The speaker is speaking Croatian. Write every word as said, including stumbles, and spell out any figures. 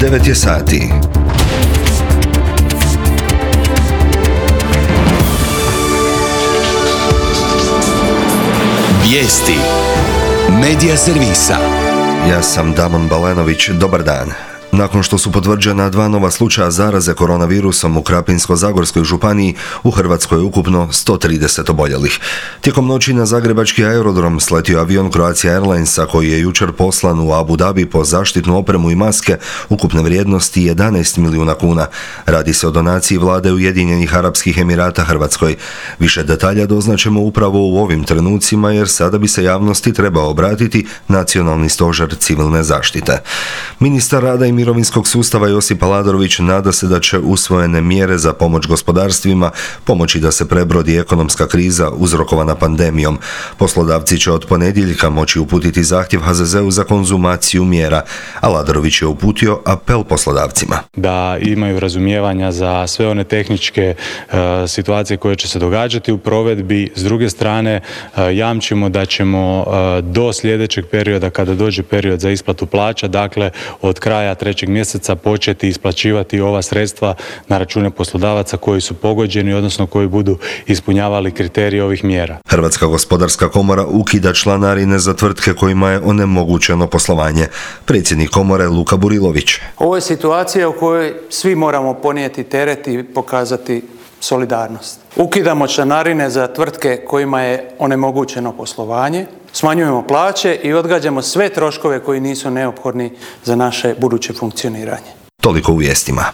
devet je sati. Vijesti Medija servisa. Ja sam Damon Balenović, dobar dan. Nakon što su potvrđena dva nova slučaja zaraze koronavirusom u Krapinsko-zagorskoj županiji, u Hrvatskoj je ukupno sto trideset oboljelih. Tijekom noći na zagrebački aerodrom sletio avion Croatia Airlinesa koji je jučer poslan u Abu Dhabi po zaštitnu opremu i maske ukupne vrijednosti jedanaest milijuna kuna. Radi se o donaciji vlade Ujedinjenih Arapskih Emirata Hrvatskoj. Više detalja doznaćemo upravo u ovim trenucima jer sada bi se javnosti trebao obratiti Nacionalni stožer civilne zaštite. Ministar rada i mirovinskog sustava Josip Aladrović nada se da će usvojene mjere za pomoć gospodarstvima pomoći da se prebrodi ekonomska kriza uzrokovana pandemijom. Poslodavci će od ponedjeljka moći uputiti zahtjev H Z Z-u za konzumaciju mjera. Aladrović je uputio apel poslodavcima. Da imaju razumijevanja za sve one tehničke uh, situacije koje će se događati u provedbi. S druge strane, uh, jamčimo da ćemo uh, do sljedećeg perioda, kada dođe period za isplatu plaća, dakle od kraja trećeg mjeseca početi isplaćivati ova sredstva na račune poslodavaca koji su pogođeni, odnosno koji budu ispunjavali kriterije ovih mjera. Hrvatska gospodarska komora ukida članarine za tvrtke kojima je onemogućeno poslovanje. Predsjednik komore Luka Burilović. Ovo je situacija u kojoj svi moramo ponijeti teret i pokazati solidarnost. Ukidamo članarine za tvrtke kojima je onemogućeno poslovanje, smanjujemo plaće i odgađamo sve troškove koji nisu neophodni za naše buduće funkcioniranje. Toliko u vijestima.